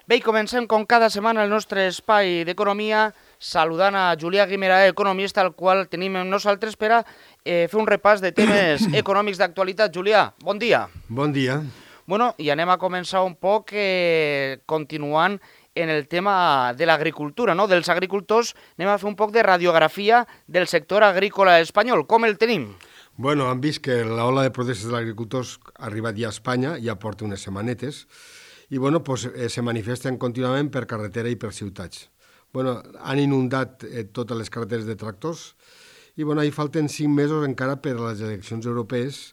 Bé, i comencem com cada setmana el nostre espai d'economia saludant a Julià Guimerà, economista, al qual tenim amb nosaltres per a fer un repàs de temes econòmics d'actualitat. Julià, bon dia. Bon dia. Bueno, i anem a començar un poc continuant en el tema de l'agricultura, no? Dels agricultors. Anem a fer un poc de radiografia del sector agrícola espanyol. Com el tenim? Bueno, han vist que l'ola de protestes dels agricultors ha arribat ja a Espanya, ja porta unes setmanetes, i bueno, pues, se manifesten contínuament per carretera i per ciutats. Bueno, han inundat totes les carreteres de tractors i bueno, hi falten 5 mesos encara per a les eleccions europees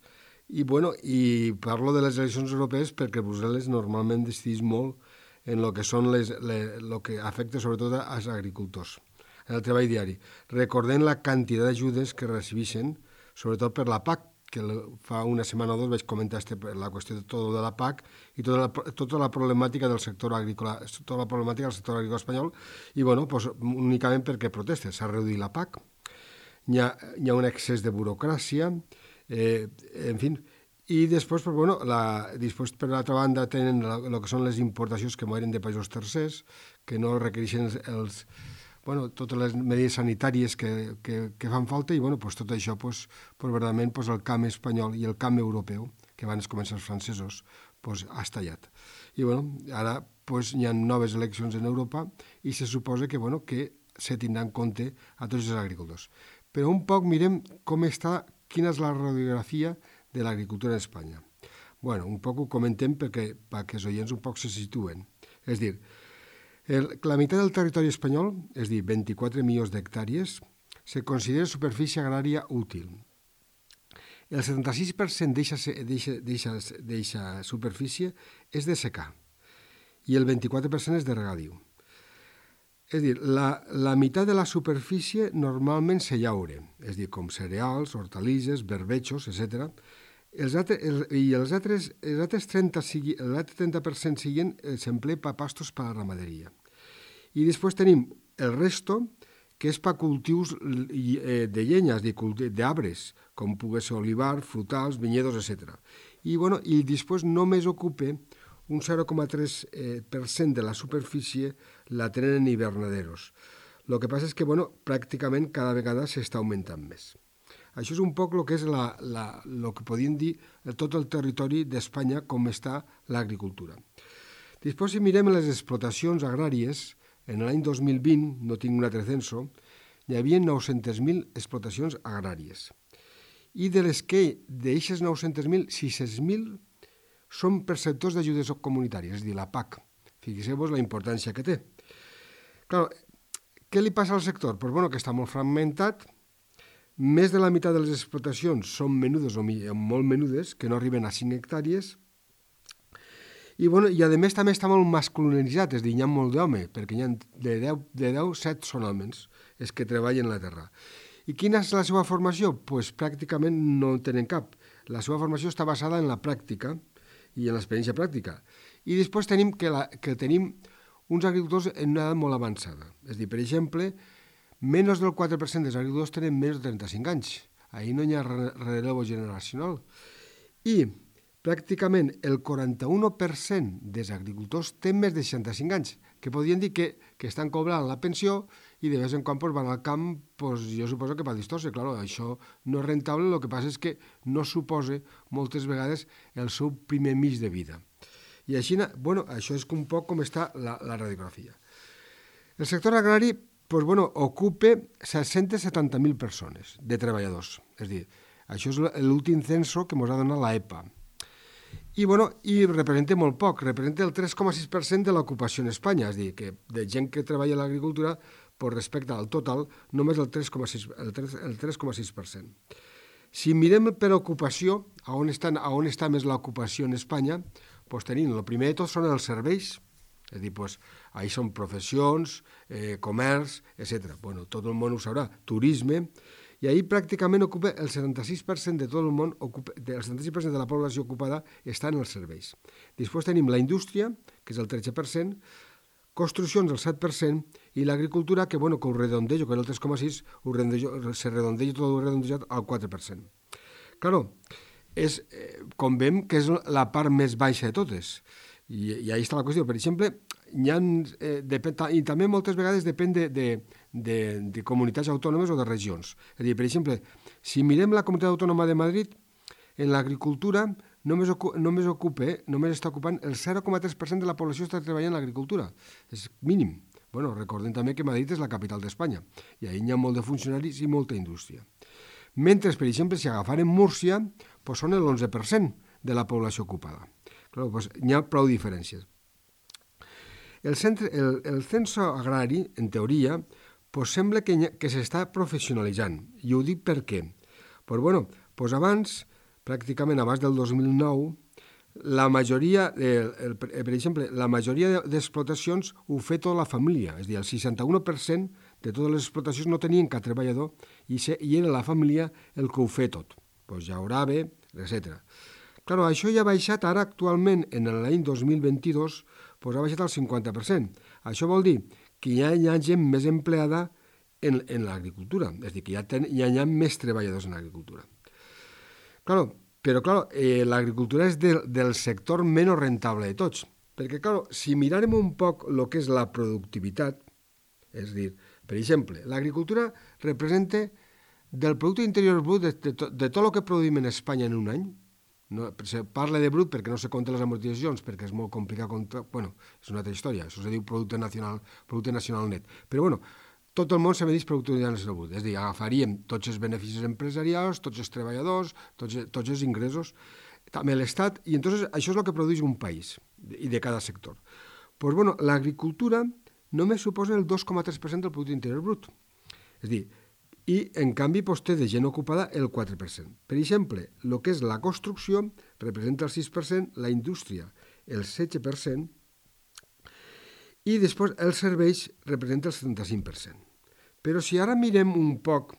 i bueno, i parlo de les eleccions europees perquè Brussel·les normalment decideix molt en el que són lo que afecta sobretot als agricultors, en el treball diari. Recordem la quantitat d'ajudes que recibeixen, sobretot per la PAC, que fa una setmana o dos vaig comentar la qüestió de la PAC i tota la problemàtica del sector agrícola, tota la problemàtica del sector agrícola espanyol, i bueno, pues, únicament perquè protestes. S'ha reduït la PAC, hi ha un excés de burocràcia, en fi, i després, pues, bueno, després per l'altra banda tenen el que són les importacions que moren de països tercers, que no requereixen totes les mesures sanitàries que fan falta i bueno, pues, tot això pues, verdaderament pues, el camp espanyol i el camp europeu, que van començar els francesos, pues, ha estallat. I bueno, ara pues, hi ha noves eleccions en Europa i se suposa que, bueno, que se tindrà en compte a tots els agricultors. Però un poc mirem quina és la radiografia de l'agricultura en Espanya. Bueno, un poc ho comentem perquè els oients un poc se situen. És dir, la meitat del territori espanyol, és a dir, 24 milions d'hectàrees, se considera superfície agrària útil. El 76% d'eixa superfície és de secà i el 24% és de regadiu. És a dir, la meitat de la superfície normalment se llaure, és a dir, com cereals, hortalisses, berbetxos, etc. Els altres 30% siguen s'emplea per pastos per a la ramaderia. I després tenim el resto, que és per cultius de llenya, és a dir, d'arbres, com pugui ser olivar, frutals, vinyedos, etc. I després només ocupa un 0,3% de la superfície la tenen en hivernaderos. El que passa és que pràcticament cada vegada s'està augmentant més. Això és un poc el que és el que podríem dir tot el territori d'Espanya com està l'agricultura. Després, si mirem les explotacions agràries, en l'any 2020, no tinc un altre censo, hi havia 900.000 explotacions agràries. I de les que d'aixes 900.000, 600.000 són perceptors d'ajudes comunitàries, és a dir, la PAC. Fixeu-vos la importància que té. Clar, què li passa al sector? Pues, que està molt fragmentat. Més de la meitat de les explotacions són menudes o molt menudes, que no arriben a 5 hectàrees, i a més també està molt masculinitzat, és a dir, hi ha molt d'home, perquè hi ha de 10, 7 són homes, els que treballen la terra. I quina és la seva formació? Pues pràcticament no en tenen cap. La seva formació està basada en la pràctica i en l'experiència pràctica. I després tenim que tenim uns agricultors en una edat molt avançada. És a dir, per exemple, menys del 4% dels agricultors tenen més de 35 anys. Ahir no hi ha relevo generacional. I pràcticament el 41% dels agricultors tenen més de 65 anys, que podrien dir que estan cobrant la pensió i de vegades en quan van al camp, jo suposo que per distorse. Clar, això no és rentable, el que passa és que no suposa moltes vegades el seu primer mig de vida. I així, això és un poc com està la radiografia. El sector agrari ocupa 670.000 persones de treballadors. És a dir, això és l'últim censo que ens ha donat l'EPA. I representa molt poc, representa el 3,6% de l'ocupació en Espanya, és a dir, que de gent que treballa a l'agricultura, respecte al total, només el 3,6%. Si mirem per ocupació, on està més l'ocupació en Espanya, tenim, el primer de tot són els serveis, és a dir, ahí són professions, comerç, etc. Tot el món ho sabrà, turisme, i ahir pràcticament ocupa el 76% de tot el món, el 76% de la població ocupada està en els serveis. Després tenim la indústria, que és el 13%, construccions el 7% i l'agricultura, que ho redondejo, que era el 3,6%, se redondeja tot redondejat al 4%. Claro, com veiem que és la part més baixa de totes. I ahí està la qüestió. Per exemple, i també moltes vegades depèn de comunitats autònomes o de regions. És a dir, per exemple, si mirem la comunitat autònoma de Madrid, en l'agricultura només està ocupant el 0,3% de la població està treballant en l'agricultura. És mínim. Bueno, recordem també que Madrid és la capital d'Espanya i ahí hi ha molt de funcionaris i molta indústria. Mentre, per exemple, si agafarem Múrcia, doncs són l'11% de la població ocupada. Clar, doncs hi ha prou diferències. El censo agrari, en teoria, doncs sembla que s'està professionalitzant. I ho dic per què? Doncs abans, pràcticament abans del 2009, la majoria, per exemple, la majoria d'explotacions ho feia tota la família, és a dir, el 61% de totes les explotacions no tenien cap treballador i era la família el que ho feia tot, doncs llaurava, etc. Clar, això ja ha baixat ara actualment, en l'any 2022, doncs ha baixat al 50%. Això vol dir que ja hi ha gent més empleada en l'agricultura, és a dir, que ja hi ha més treballadors en l'agricultura. Clar, però, l'agricultura és del sector menys rentable de tots. Perquè, clar, si mirarem un poc el que és la productivitat, és a dir, per exemple, l'agricultura representa del producte interior brut de tot el que produïm en Espanya en un any. No, se parla de brut perquè no se compten les amortitzacions, perquè és molt complicat comptar. Bueno, és una altra història, això se diu producte nacional net. Però, tot el món se medeix producte nacional brut, és a dir, agafaríem tots els beneficis empresarials, tots els treballadors, tots els ingressos, també l'Estat, i entonces això és el que produeix un país, i de cada sector. Doncs, l'agricultura només suposa el 2,3% del producte interior brut. És a dir, i en canvi té de gent ocupada el 4%. Per exemple, el que és la construcció representa el 6%, la indústria el 16%, i després els serveis representa el 75%. Però si ara mirem un poc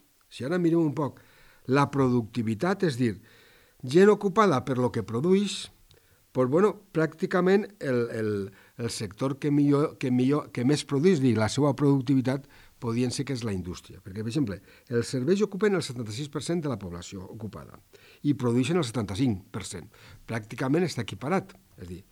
la productivitat, és a dir, gent ocupada per lo que produeix, doncs, pràcticament el sector que més produeix, la seva productivitat, podien ser que és la indústria. Perquè, per exemple, els serveis ocupen el 76% de la població ocupada i produeixen el 75%. Pràcticament està equiparat. És a dir,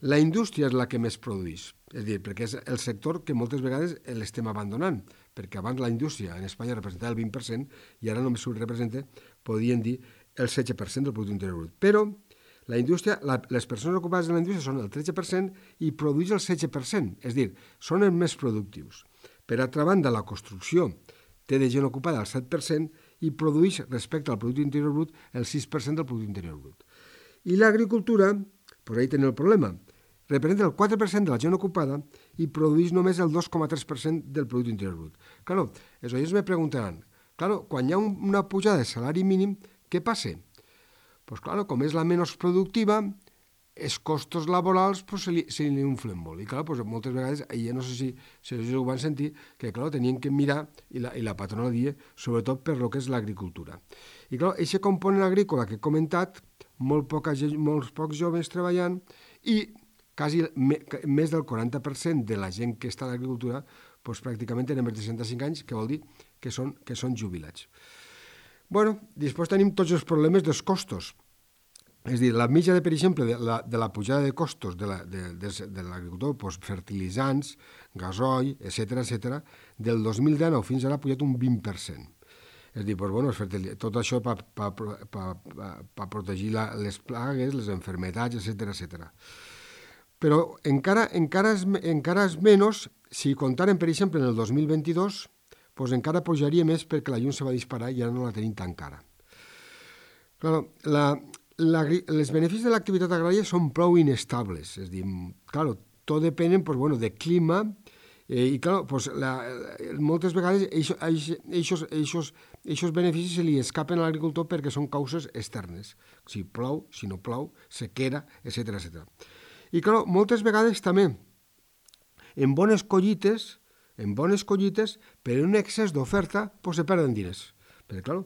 la indústria és la que més produeix, és a dir, perquè és el sector que moltes vegades l'estem abandonant, perquè abans la indústria en Espanya representava el 20% i ara només ho representa, podien dir, el 16% del producte interior brut. Però la indústria, les persones ocupades en la indústria són el 13% i produeix el 16%, és a dir, són els més productius. Per altra banda, la construcció té de gent ocupada el 7% i produeix, respecte al producte interior brut, el 6% del producte interior brut. I l'agricultura, doncs ahí tenim el problema, representa el 4% de la gent ocupada i produeix només el 2,3% del producte interior brut. Clar, els oients me preguntaran, quan hi ha una pujada de salari mínim, què passa? Doncs clar, com és la menys productiva, els costos laborals se li inflen molt. I clar, moltes vegades, no sé si ells ho van sentir, que clar, tenien que mirar, i la patrona dia, sobretot per lo que és l'agricultura. I clar, aquest component agrícola que he comentat, molts pocs joves treballant, i quasi més del 40% de la gent que està a l'agricultura doncs pràcticament tenen més de 65 anys, que vol dir que són jubilats. Després tenim tots els problemes dels costos. És a dir, la mitja, per exemple, de la pujada de costos de l'agricultor, fertilitzants, gasoil, etc., del 2019 fins ara ha pujat un 20%. És a dir, tot això per protegir les plagues, les malalties, etc. Però encara és menys, si comptàrem, per exemple, en el 2022, doncs encara pujaria més perquè la llum se va disparar i ara no la tenim tan cara. Els beneficis de l'activitat agrària són prou inestables, és a dir, tot depèn de clima i moltes vegades aquests beneficis se li escapen a l'agricultor perquè són causes externes, si plou, si no plou, sequera, etc. I moltes vegades també en bones collites, per un excés d'oferta, se perden diners. Perquè,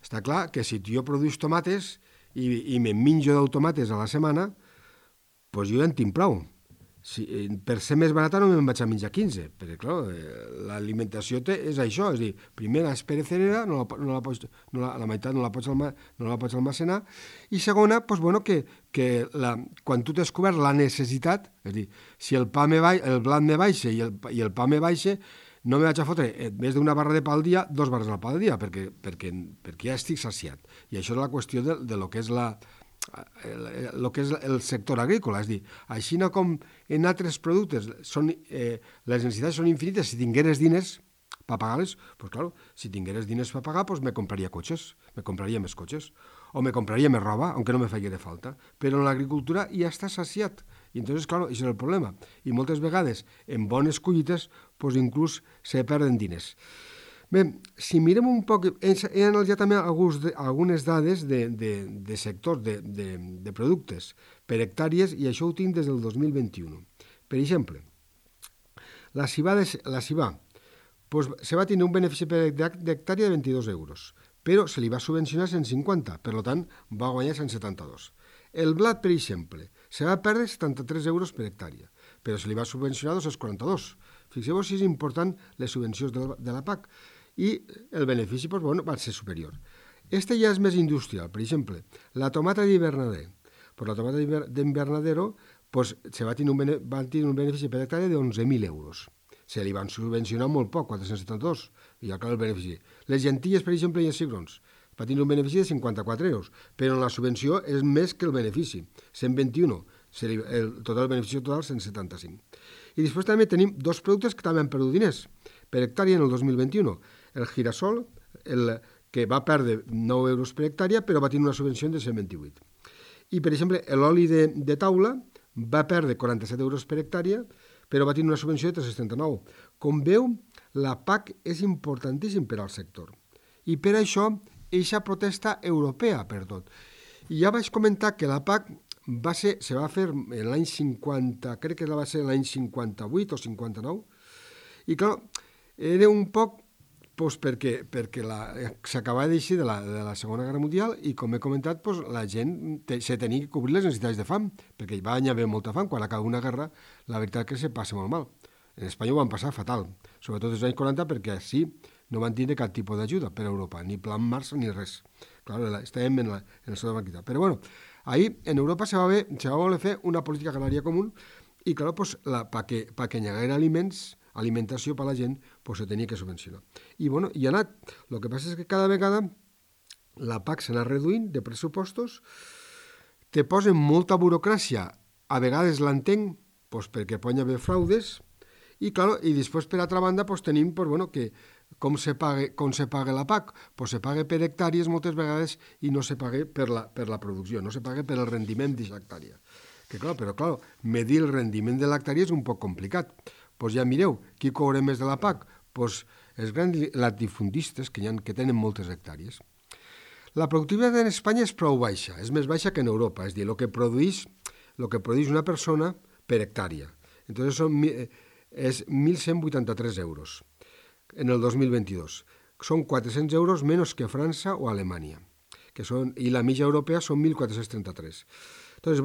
està clar que si jo produïs tomates i me'n menjo 10 tomates a la setmana, jo ja en tinc prou. per ser més barata no me'n vaig a menjar 15, perquè, clar, l'alimentació és això, és a dir, primera és perecedera, la meitat no la pots almacenar, i segona, doncs, bueno, que quan tu t'has descobert la necessitat, és a dir, si el blat me baixa i el pa me baixa, no me vaig a fotre, en vez d'una barra de pa al dia, 2 barres de pa al dia, perquè ja estic saciat. I això és la qüestió de lo que és el sector agrícola, és a dir, així com en altres productes les necessitats són infinites, si tingueres diners per pagar-les, doncs clar, si tingueres diners per pagar, doncs me compraria més cotxes, o me compraria més roba, aunque no me faria de falta, però en l'agricultura ja està saciat, i entonces, clar, això és el problema, i moltes vegades, en bones collites, doncs inclús se perden diners. Bé, si mirem un poc, he analitzat també algunes dades de sectors, de productes per hectàrees, i això ho tinc des del 2021. Per exemple, la cibà doncs, se va tenir un benefici per hectàrea de 22 euros, però se li va subvencionar 150, per tant, va guanyar 172. El blat, per exemple, se va perdre 73 euros per hectàrea, però se li va subvencionar 242. Fixeu-vos si és important les subvencions de la PAC. I el benefici doncs, bueno, va ser superior. Este ja és més industrial. Per exemple, la tomata d'hivernader. Pues la tomata d'hivernadero pues, va tenir un benefici per hectàrea de 11.000 euros. Se li van subvencionar molt poc, 472, i ja clar el benefici. Les llentilles, per exemple, i els cigrons, va tenir un benefici de 54 euros, però la subvenció és més que el benefici, 121, el benefici total 175. I després també tenim dos productes que també han perdut diners per hectàrea en el 2021. El girasol, que va perdre 9 euros per hectàrea, però va tenir una subvenció de 128. I, per exemple, l'oli de taula va perdre 47 euros per hectàrea, però va tenir una subvenció de 379. Com veu, la PAC és importantíssim per al sector. I per això, eixa protesta europea per tot. I ja vaig comentar que la PAC se va fer l'any 50, crec que va ser l'any 58 o 59, i clar, era un poc doncs, perquè s'acabava d'eixir de la Segona Guerra Mundial i, com he comentat, doncs, la gent se tenia que cobrir les necessitats de fam, perquè hi va haver molta fam. Quan acaba una guerra, la veritat que se passa molt mal. En Espanya ho van passar fatal, sobretot als anys 40, perquè així no van tindre cap tipus d'ajuda per a Europa, ni plan Marshall ni res. Clar, estàvem en el seu banquita. Però bueno, ahir en Europa se va voler fer una política agrària comú i, clar, doncs, perquè hi haguera alimentació per a la gent, doncs se tenia que subvencionar. I, bueno, hi ha anat. El que passa és que cada vegada la PAC s'ha anat reduint de pressupostos, te posen molta burocràcia, a vegades l'entenc, doncs perquè poden haver fraudes, i, clar, i després, per altra banda, doncs tenim que com se paga la PAC? Doncs se paga per hectàrees moltes vegades i no se paga per la producció, no se paga per el rendiment d'aquesta hectàrea. Però, clar, medir el rendiment de l'hectàrea és un poc complicat. Doncs ja mireu, qui cobra més de la PAC? Doncs els grans latifundistes que tenen moltes hectàrees. La productivitat en Espanya és prou baixa, és més baixa que en Europa, és a dir, el que produeix una persona per hectàrea. Entonces és 1.183 euros en el 2022. Són 400 euros menys que França o Alemanya, i la mitja europea són 1.433. Entonces,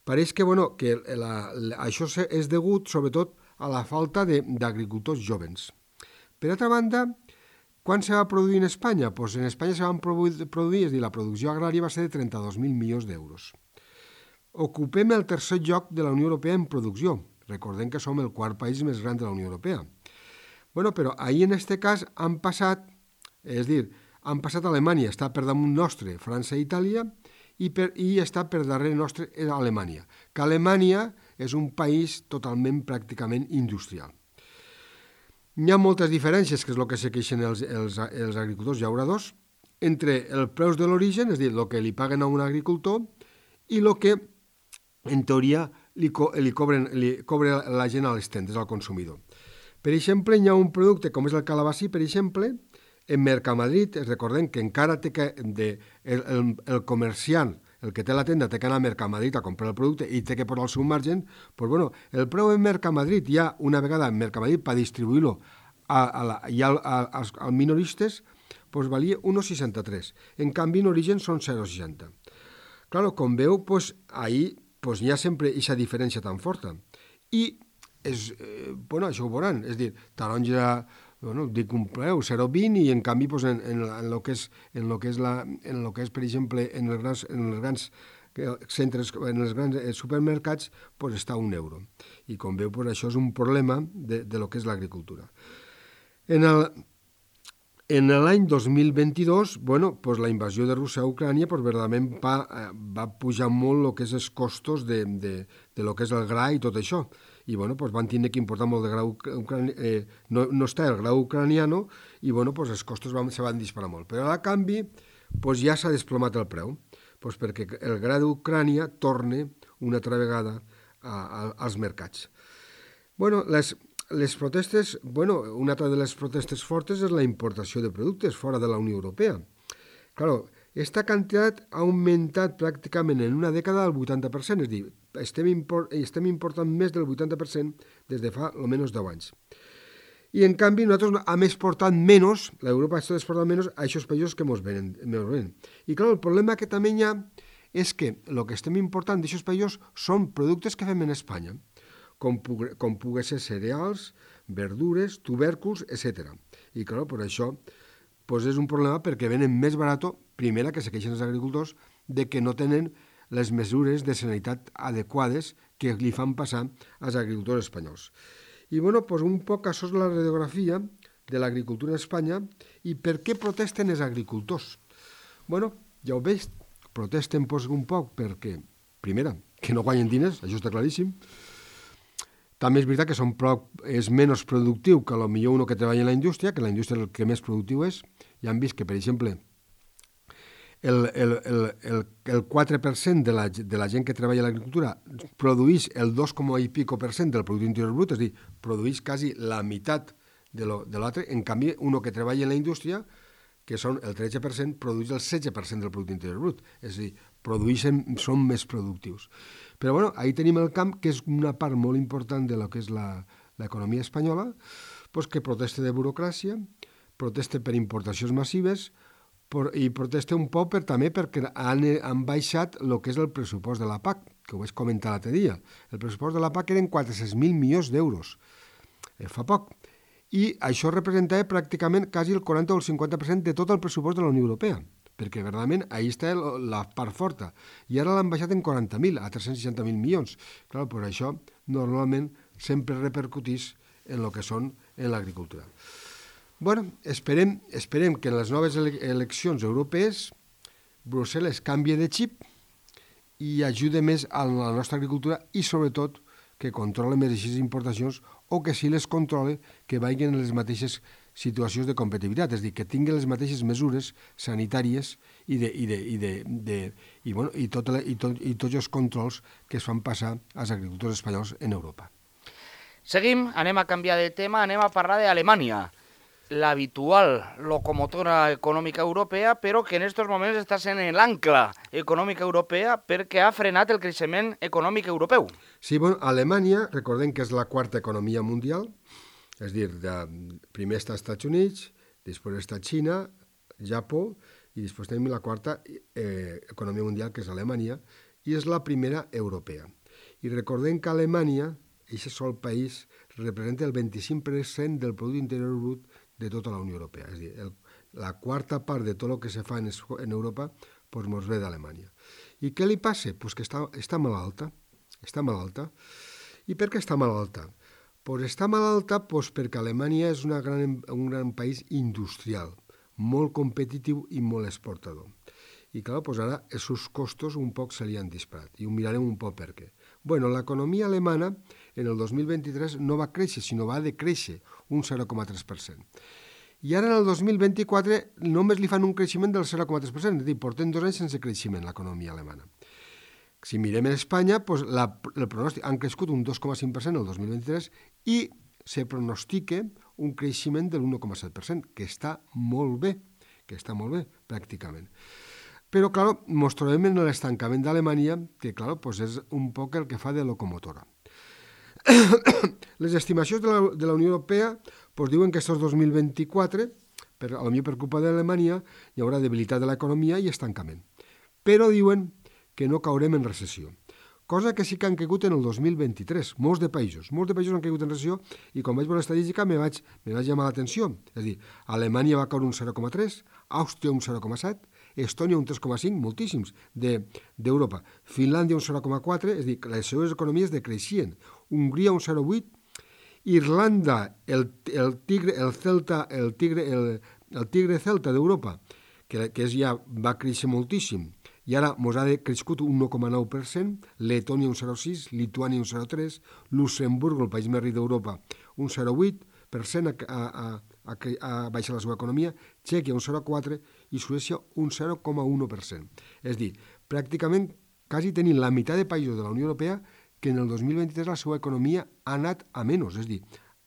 pareix que això és degut, sobretot, a la falta d'agricultors jovens. Per altra banda, quan se va produir en Espanya? Doncs en Espanya se van produir, és a dir, la producció agrària va ser de 32.000 milions d'euros. Ocupem el tercer lloc de la Unió Europea en producció. Recordem que som el quart país més gran de la Unió Europea. Però ahir en aquest cas han passat Alemanya, està per damunt nostre, França i Itàlia, i està per darrere nostre Alemanya, que Alemanya és un país totalment, pràcticament industrial. Hi ha moltes diferències, que és el que se queixen els agricultors llauradors, entre els preus de l'origen, és a dir, el que li paguen a un agricultor, i el que, en teoria, li cobra la gent a les tendes, al consumidor. Per exemple, hi ha un producte com és el calabací, per exemple, en Mercamadrid, recordem que encara té que el comerciant, el que té la tenda, té que anar a Mercamadrid a comprar el producte i té que posar el seu margen, doncs el preu en Mercamadrid ja una vegada en Mercamadrid per distribuir-lo als minoristes, doncs valia 1,63. En canvi, en origen són 0,60. Clar, com veu, ahir hi ha sempre aquesta diferència tan forta. I això ho veuran, és a dir, taronja, dic un preu, 0,20, i en canvi en el que és, per exemple, en els grans centres, en els grans supermercats, està a €1. I com veu, això és un problema de lo que és l'agricultura. En l'any 2022, la invasió de Rússia a Ucrània verdaderament va pujar molt el que és els costos de lo que és el gra i tot això. I van tenir que importar molt de gra ucranià, no està el gra ucraniano, i els costos se van disparar molt. Però a canvi ja s'ha desplomat el preu, perquè el gra d'Ucrània torna una altra vegada als mercats. Les protestes, una altra de les protestes fortes és la importació de productes fora de la Unió Europea. Claro, esta quantitat ha augmentat pràcticament en una dècada al 80%, és a dir, estem important més del 80% des de fa almenys 10 anys. I en canvi nosaltres hem exportat menys, l'Europa està exportant menys a aquests països que ens venen. I clar, el problema que també hi ha és que el que estem important d'aquests països són productes que fem en Espanya, com pugui ser cereals, verdures, tubèrculs, etc. I clar, per això és un problema perquè venen més barat, primera, que se queixen els agricultors de que no tenen les mesures de sanitat adequades que li fan passar als agricultors espanyols. I un poc això és la radiografia de l'agricultura en Espanya i per què protesten els agricultors. Ja ho veig, protesten un poc perquè, primera, que no guanyen diners, això està claríssim. També és veritat que és menys productiu que potser uno que treballa en la indústria, que la indústria el que més productiu és. Ja han vist que, per exemple, el 4% de la gent que treballa a l'agricultura produeix el 2,5% del producte interior brut, és a dir, produeix quasi la meitat de l'altre. En canvi, uno que treballa en la indústria, que són el 13%, produeix el 16% del producte interior brut. És a dir, són més productius. Però ahí tenim el camp, que és una part molt important de lo que és l'economia espanyola, que protesta de burocràcia, protesta per importacions massives i protesta un poc també perquè han baixat el que és el pressupost de la PAC, que ho vaig comentar l'altre dia. El pressupost de la PAC eren 400.000 milions d'euros, fa poc. I això representava pràcticament quasi el 40 o el 50% de tot el pressupost de la Unió Europea, perquè verdaderament ahí està la part forta. I ara l'han baixat en 40.000, a 360.000 milions. Clar, per això normalment sempre repercutís en el que són en l'agricultura. Esperem que en les noves eleccions europees Brussel·les canvie de xip i ajude més a la nostra agricultura i sobretot que controle més aquestes importacions o que si les controle que vagin en les mateixes situacions de competitivitat, és a dir, que tinguin les mateixes mesures sanitàries i tots els controls que es fan passar als agricultors espanyols en Europa. Seguim, anem a canviar de tema, anem a parlar d'Alemanya, l'habitual locomotora econòmica europea, però que en aquests moments està sent l'ancla econòmica europea perquè ha frenat el creixement econòmic europeu. Sí, Alemanya, recordem que és la quarta economia mundial, és a dir, primer està als Estats Units, després està Xina, Japó, i després tenim la quarta economia mundial, que és Alemanya, i és la primera europea. I recordem que Alemanya, aquest sol país, representa el 25% del producte interior brut de tota la Unió Europea. És a dir, la quarta part de tot el que se fa en Europa ens ve d'Alemanya. I què li passa? Que està malalta. I per què està malalta? Està malalta perquè Alemanya és un gran país industrial, molt competitiu i molt exportador. I clar, ara els seus costos un poc se li han disparat. I ho mirarem un poc per què. L'economia alemana en el 2023 no va créixer, sinó va decréixer un 0,3%. I ara en el 2024 només li fan un creixement del 0,3%, és a dir, portem 2 anys sense creixement l'economia alemana. Si mirem en Espanya, el pronòstic han crescut un 2,5% el 2023 i se pronostica un creixement del 1,7%, que està molt bé, pràcticament. Però, clar, ens trobem en l'estancament d'Alemanya, que, clar, és un poc el que fa de locomotora. Les estimacions de la Unió Europea diuen que aquest 2024, potser per culpa d'Alemanya, hi haurà debilitat de l'economia i estancament. Però diuen que no caurem en recessió. cosa que sí que han caigut en el 2023, molts de països han caigut en recessió, i quan vaig veure l'estadística me vaig llamar l'atenció. És a dir, Alemanya va caure un 0,3, Àustria un 0,7, Estònia un 3,5, moltíssims d'Europa, Finlàndia un 0,4, és a dir, que les seves economies decreixien, Hongria un 0,8, Irlanda, el tigre celta d'Europa, que ja va créixer moltíssim, i ara mos ha crescut un 1,9%, Letònia un 0,6%, Lituània un 0,3%, Luxemburg, el país més ric d'Europa, un 0,8% ha baixat la seva economia, Txèquia un 0,4% i Suècia un 0,1%. És a dir, pràcticament quasi tenim la meitat de països de la Unió Europea que en el 2023 la seva economia ha anat a menys, és a dir,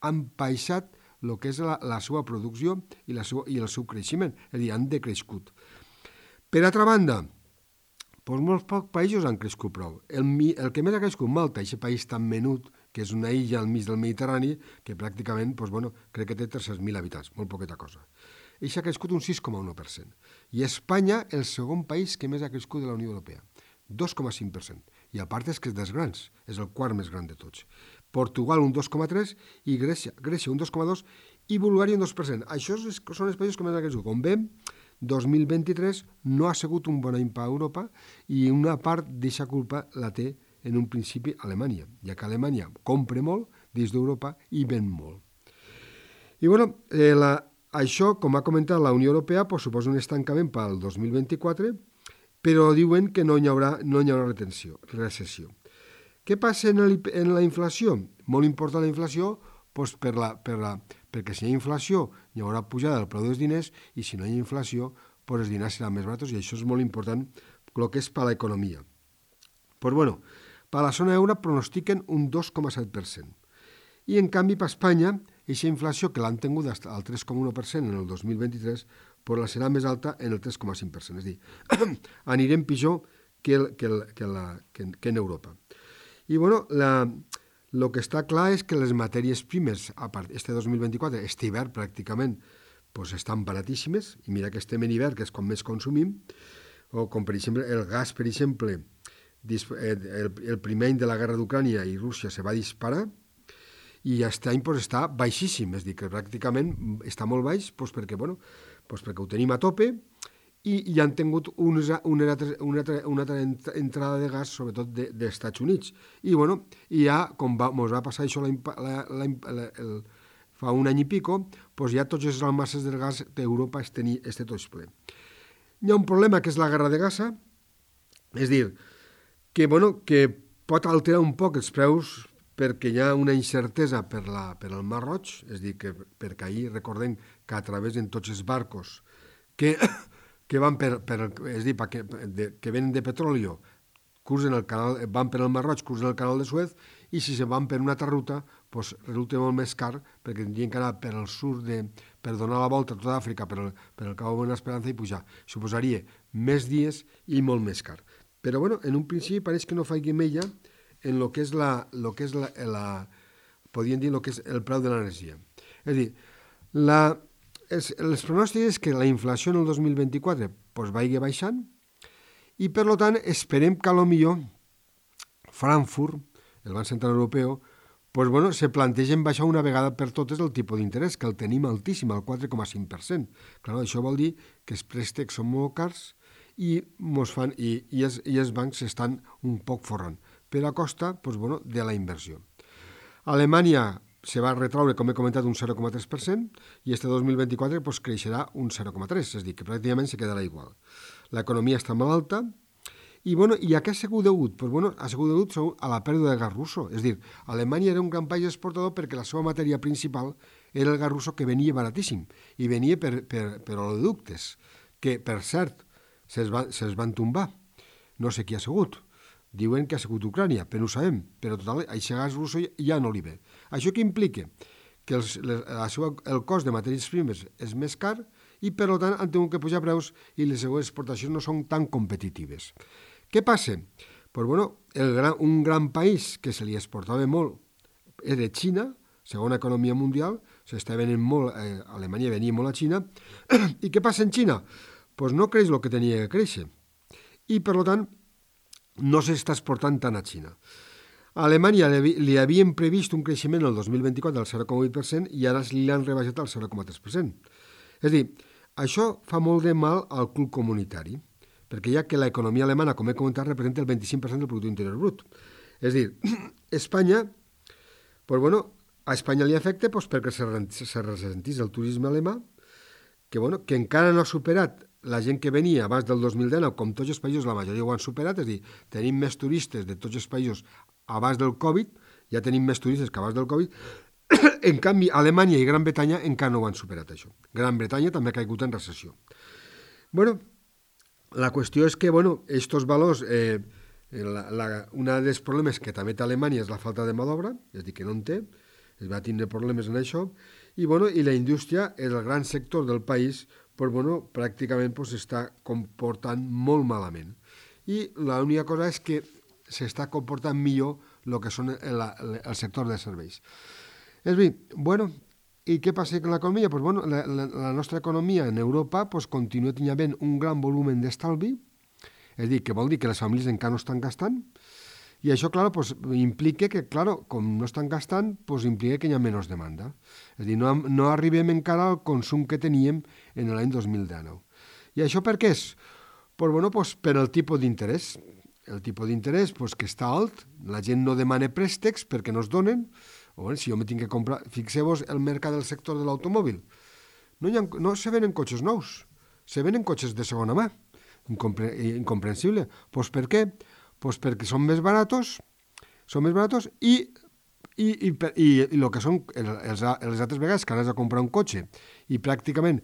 han baixat el que és la seva producció i el seu creixement, és a dir, han decrescut. Per altra banda, doncs molts pocs països han crescut prou. El que més ha crescut, Malta, aquest país tan menut, que és una illa al mig del Mediterrani, que pràcticament, crec que té 300.000 habitants, molt poqueta cosa. Això ha crescut un 6,1%. I Espanya, el segon país que més ha crescut de la Unió Europea, 2,5%. I a part és que és dels grans, és el quart més gran de tots. Portugal un 2,3% i Grècia un 2,2% i Bulgària un 2%. Això són els països que més han crescut. Com veiem, 2023 no ha sigut un bon any per a Europa i una part d'aquesta culpa la té en un principi Alemanya, ja que Alemanya compra molt dins d'Europa i ven molt. I això, com ha comentat la Unió Europea, suposa un estancament per al 2024, però diuen que no hi haurà recessió. Què passa en la inflació? Molt important la inflació, perquè si hi ha inflació hi haurà pujada del preu dels diners i si no hi ha inflació els diners seran més barats i això és molt important el que és per a l'economia. Per a la zona euro pronostiquen un 2,7%. I en canvi per Espanya, aquesta inflació que l'han tingut al 3,1% en el 2023 la serà més alta en el 3,5%. És a dir, anirem pitjor que en Europa. I el que està clar és que les matèries primes, a part este 2024, este hivern pràcticament, estan baratíssimes, i mira que estem en hivern, que és quan més consumim, o com per exemple el gas, per exemple, el primer any de la guerra d'Ucrània i Rússia se va disparar, i aquest any està baixíssim, és a dir, que pràcticament està molt baix perquè ho tenim a tope i han tingut una altra entrada de gas, sobretot dels Estats Units. I ja, com ens va passar això fa un any i pico, ja tots els almacenes del gas d'Europa estan tots ple. Hi ha un problema que és la guerra de Gaza, és a dir, que pot alterar un poc els preus perquè hi ha una incertesa per al Mar Roig, és a dir, perquè ahir recordem que a través de tots els barcos que van que venen de petroli, van per el Mar Roig, cruzen el canal de Suez, i si se van per una altra ruta, resulta molt més car, perquè tindrien que anar per al sud, per donar la volta a tota Àfrica, per el Cabo Buena Esperanza i pujar. Suposaria més dies i molt més car. Però, en un principi pareix que no faci mella en el que és podríem dir, el que és el preu de l'energia. És a dir, els pronòstics és que la inflació en el 2024 vagi baixant i, per tant, esperem que potser Frankfurt, el Banc Central Europeu, se plantegen baixar una vegada per totes el tipus d'interès, que el tenim altíssim, al 4,5%. Clar, això vol dir que els préstecs són molt cars i els bancs estan un poc forrant, per a costa de la inversió. Alemanya se va retraure, com he comentat, un 0,3% i este 2024 creixerà un 0,3%, és a dir, que pràcticament se quedarà igual. L'economia està molt alta i a què ha sigut degut? Ha sigut degut a la pèrdua de gas russo. És a dir, Alemanya era un gran país exportador perquè la seva matèria principal era el gas russo, que venia baratíssim i venia per oleoductes, que, per cert, se'ls van tombar. No sé qui ha sigut. Diuen que ha sigut Ucrània, però no ho sabem. Però, total, aquest gas russo ja no li ve. Això què implica? Que el cost de matèries primes és més car i, per tant, han tingut que pujar preus i les seues exportacions no són tan competitives. Què passa? Un gran país que se li exportava molt era Xina, segona economia mundial, s'està venent molt, Alemanya venia molt a Xina, i què passa en Xina? No creix el que tenia que créixer. I, per tant, no s'està exportant tant a Xina. A Alemanya li havien previst un creixement el 2024 del 0,8% i ara li han rebaixat al 0,3%. És a dir, això fa molt de mal al club comunitari, perquè ja que l'economia alemana, com he comentat, representa el 25% del producte interior brut. És a dir, Espanya, pues bueno, a Espanya li afecta pues, perquè se ressentís el turisme alemà, que, bueno, que encara no ha superat la gent que venia abans del 2019, com tots els països, la majoria ho han superat, és a dir, tenim més turistes de tots els països abans del Covid, ja tenim més turistes que abans del Covid, en canvi, Alemanya i Gran Bretanya encara no ho han superat, això. Gran Bretanya també ha caigut en recessió. Bueno, la qüestió és que, bueno, estos valors, un dels problemes que també té Alemanya és la falta de mà d'obra, és a dir, que no en té, es va tindre problemes en això, i, bueno, i la indústria, el gran sector del país, pues, bueno, pràcticament s'està comportant molt malament. I l'única cosa és que s'està comportant millor el que són el sector de serveis. És a dir, bueno, i què passa amb l'economia? Pues, bueno, la nostra economia en Europa pues, continua tenint un gran volum d'estalvi, és a dir, que vol dir que les famílies encara no estan gastant, i això, clar, pues, implica que, clar, com no estan gastant, pues, implica que hi ha menys demanda. És a dir, no arribem encara al consum que teníem en l'any 2019. I això per què és? Pues, bueno, pues, per el tipus d'interès. El tipus d'interès pues, que està alt, la gent no demana préstecs perquè no es donen, o bé, si jo me tinc que comprar... Fixeu-vos el mercat del sector de l'automòbil. No se venen cotxes nous, se venen cotxes de segona mà. Incomprensible. Pues per què? Pues perquè són més baratos i el que són les altres vegades que anaves a comprar un cotxe i pràcticament,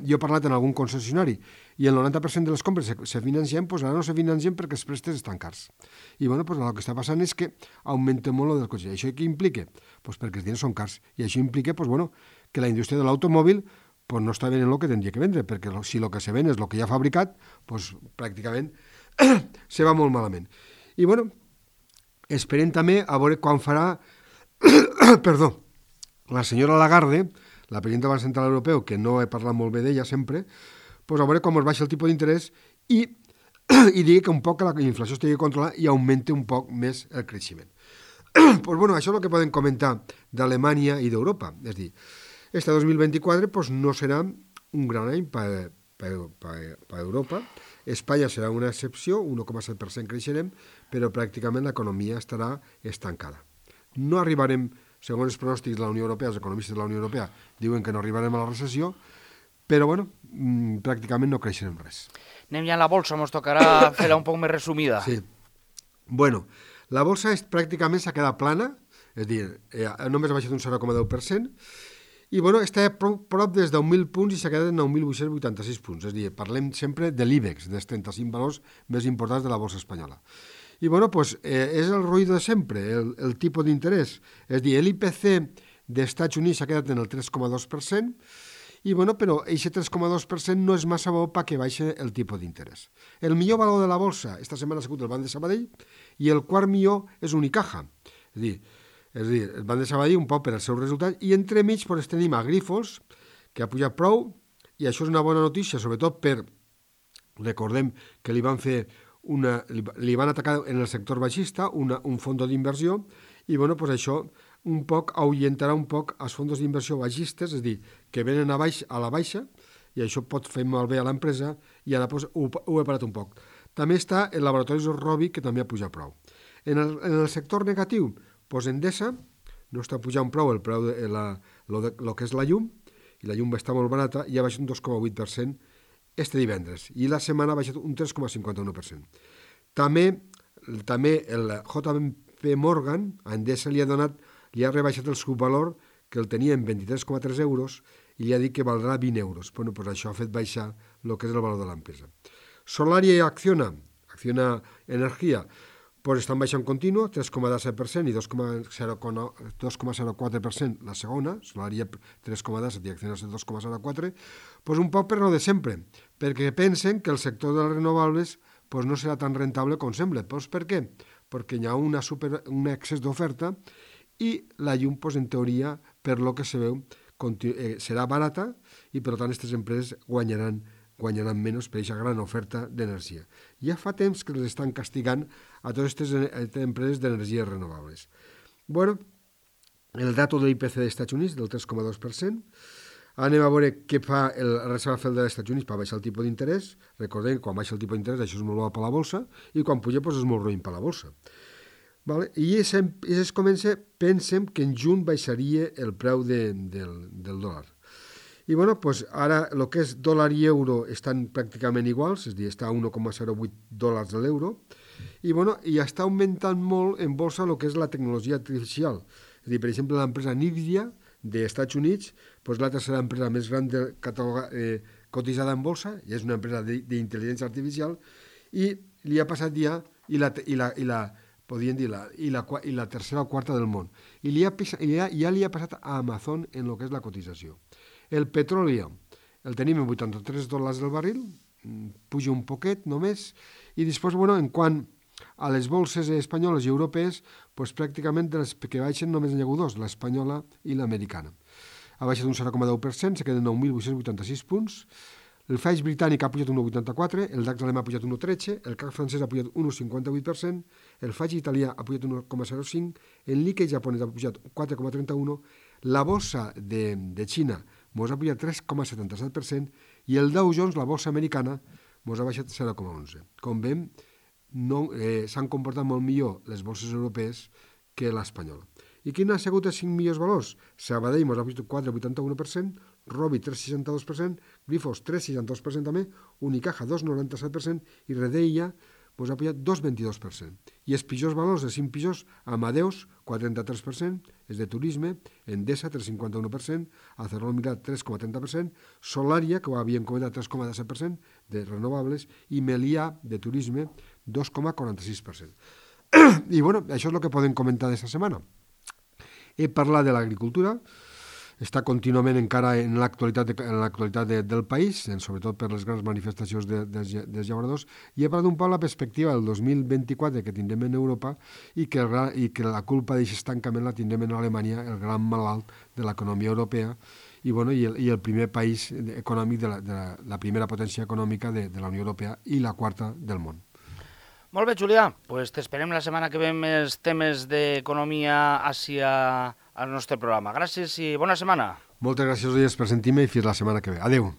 jo he parlat en algun concessionari i el 90% de les compres se financien, doncs ara no se financien perquè els préstecs estan cars. I bueno, doncs el que està passant és que augmenta molt el del cotxe. Això què implica? Doncs perquè els diners són cars i això implica doncs, bueno, que la indústria de l'automòbil pues no està venent el que tindria que vendre, perquè si el que se ven és el que ja ha fabricat, doncs pràcticament se va molt malament. I bueno, esperem també a veure quan farà perdó, la senyora Lagarde, la presidenta del Banc Central Europeu, que no he parlat molt bé d'ella sempre, doncs a veure com es baixa el tipus d'interès i digui que un poc la inflació estigui controlada i augmenti un poc més el creixement. Doncs bueno, això és el que podem comentar d'Alemanya i d'Europa. És a dir, este 2024 pues, no serà un gran any per Europa. Espanya serà una excepció, 1,7% creixerem, però pràcticament l'economia estarà estancada. No arribarem, segons els pronòstics de la Unió Europea, els economistes de la Unió Europea diuen que no arribarem a la recessió, però bueno, pràcticament no creixerem res. Anem ja a la bolsa, ens tocarà fer-la un poc més resumida. Sí. Bueno, la bolsa pràcticament s'ha quedat plana, és a dir, només ha baixat un 0,10%, i bueno, està prop des de 1.000 punts i s'ha quedat en 9.886 punts. És a dir, parlem sempre de l'IBEX, dels 35 valors més importants de la bolsa espanyola. I bueno, pues, és el ruïdo de sempre, el tipus d'interès. És a dir, l'IPC dels Estats Units s'ha quedat en el 3,2%, i bueno, però aquest 3,2% no és massa bo perquè baixa el tipus d'interès. El millor valor de la bolsa esta setmana ha sigut el Banc de Sabadell i el quart millor és Unicaja. És a dir, el Banc de Sabadell un poc per als seus resultats i entremig pues, tenim a Grifols, que ha pujat prou, i això és una bona notícia, sobretot per, recordem que li van atacar en el sector baixista un fons d'inversió i bueno, pues això un poc ahuyentarà un poc els fons d'inversió baixistes, és a dir, que venen a la baixa i això pot fer malbé a l'empresa i ara pues, ho he parat un poc. També està el Laboratoris Robi, que també ha pujat prou. En el sector negatiu, doncs Endesa no està pujant prou el preu de lo que és la llum, i la llum està molt barata i ha baixat un 2,8% este divendres, i la setmana ha baixat un 3,51%. També el JP Morgan a Endesa li ha rebaixat el subvalor, que el tenia en 23,3 euros, i li ha dit que valdrà 20 euros. Bueno, doncs això ha fet baixar el que és el valor de l'empresa. Solaria i Acciona Energia, doncs estan baixant continu, 3,17% i 2,04% la segona, Solaria 3,17 i Acciona 2,04%, doncs un poc per lo de sempre, perquè pensen que el sector de les renovables doncs no serà tan rentable com sembla. Doncs per què? Perquè hi ha un excés d'oferta i la llum, doncs, en teoria, per lo que se veu, serà barata i per tant aquestes empreses guanyaran guanyaran menys per aquesta gran oferta d'energia. Ja fa temps que els estan castigant a totes aquestes empreses d'energies renovables. Bueno, el dato de l'IPC dels Estats Units, del 3,2%. Anem a veure què fa la Reserva Federal dels Estats Units per baixar el tipus d'interès. Recordem que quan baixa el tipus d'interès això és molt bo per la bolsa i quan puja és molt roïn per la bolsa. Vale? I es comença, pensem que en juny baixaria el preu del dòlar. I bueno, pues ara el que és dòlar i euro estan pràcticament iguals, és a dir, està a 1,08 dòlars l'euro, i bueno, i està augmentant molt en bolsa el que és la tecnologia artificial. És a dir, per exemple, l'empresa NVIDIA dels Estats Units, pues la tercera empresa més gran cotitzada en bolsa, i és una empresa d'intel·ligència artificial, i li ha passat ja, podríem dir, la tercera o quarta del món. I ja li ha passat a Amazon en el que és la cotització. El petroli el tenim en 83 dòlars el barril, puja un poquet només, i després, bueno, en quant a les bolses espanyoles i europees, doncs pràcticament de les que baixen només n'hi ha hagut dos, l'espanyola i l'americana. Ha baixat un 0,10%, se queden 9.886 punts. El FAIX britànic ha pujat un 1,84%, el DAX alemà ha pujat un 1,13%, el CAC francès ha pujat un 1,58%, el FAIX italià ha pujat un 1,05%, el Nikkei japonès ha pujat 4,31%, la bossa de Xina mos ha pujat 3,77% i el Dow Jones, la bossa americana, mos ha baixat 0,11%. Com veiem, s'han comportat molt millor les borses europees que l'espanyola. I quins han sigut els 5 millors valors? Sabadell mos ha pujat 4,81%, Robi 3,62%, Grifols 3,62% també, Unicaja 2,97% i Redeia mos ha pujat 2,22%. I els pitjors valors, els 5 pitjors, Amadeus 4,33%, és de turisme, Endesa 3,51%, ArcelorMittal 3,30%, Solaria, que ho havíem comentat, 3,17% de renovables, i Melià, de turisme, 2,46%. I bueno, això és el que podem comentar d'aquesta setmana. He parlat de l'agricultura, està contínuament encara en l'actualitat del país, sobretot per les grans manifestacions dels llauradors, i he parlat un poc la perspectiva del 2024 que tindrem en Europa i que la culpa d'aquest estancament la tindrem en Alemanya, el gran malalt de l'economia europea, i el primer país econòmic, la primera potència econòmica de la Unió Europea i la quarta del món. Molt bé, Julià, pues t'esperem la setmana que ve més temes d'economia al nostre programa. Gràcies i bona setmana. Moltes gràcies per sentir-me i fins la setmana que ve. Adéu.